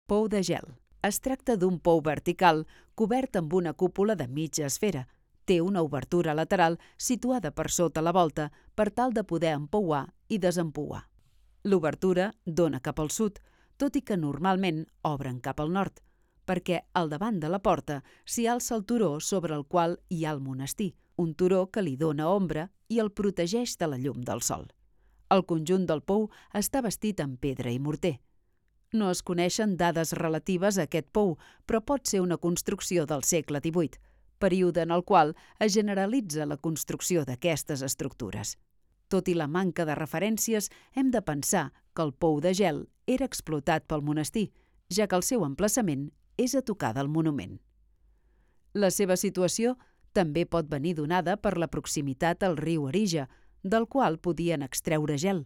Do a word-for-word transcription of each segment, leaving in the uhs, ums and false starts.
Pou de gel. Es tracta d'un pou vertical cobert amb una cúpula de mitja esfera. Té una obertura lateral situada per sota la volta per tal de poder empouar i desempouar. L'obertura dona cap al sud, tot i que normalment obren cap al nord, perquè al davant de la porta s'hi alça el turó sobre el qual hi ha el monestir, un turó que li dóna ombra i el protegeix de la llum del sol. El conjunt del pou està bastit amb pedra i morter. No es coneixen dades relatives a aquest pou, però pot ser una construcció del segle divuit, període en el qual es generalitza la construcció d'aquestes estructures. Tot i la manca de referències, hem de pensar que el pou de gel era explotat pel monestir, ja que el seu emplaçament és a tocar del monument. La seva situació també pot venir donada per la proximitat al riu Arija, del qual podien extreure gel.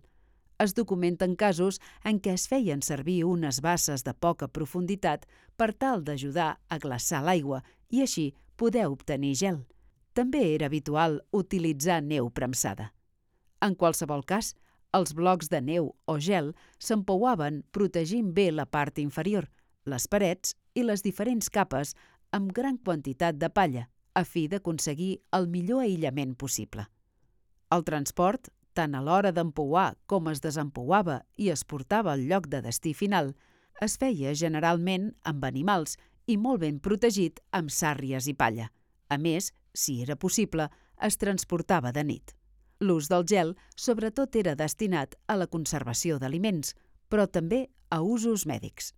Es documenten casos en què es feien servir unes basses de poca profunditat per tal d'ajudar a glaçar l'aigua i així poder obtenir gel. També era habitual utilitzar neu premsada. En qualsevol cas, els blocs de neu o gel s'empouaven protegint bé la part inferior, les parets i les diferents capes amb gran quantitat de palla, a fi d'aconseguir el millor aïllament possible. El transport, tant a l'hora d'empouar com es desempouava i es portava al lloc de destí final, es feia generalment amb animals i molt ben protegit amb sàrries i palla. A més, si era possible, es transportava de nit. L'ús del gel sobretot era destinat a la conservació d'aliments, però també a usos mèdics.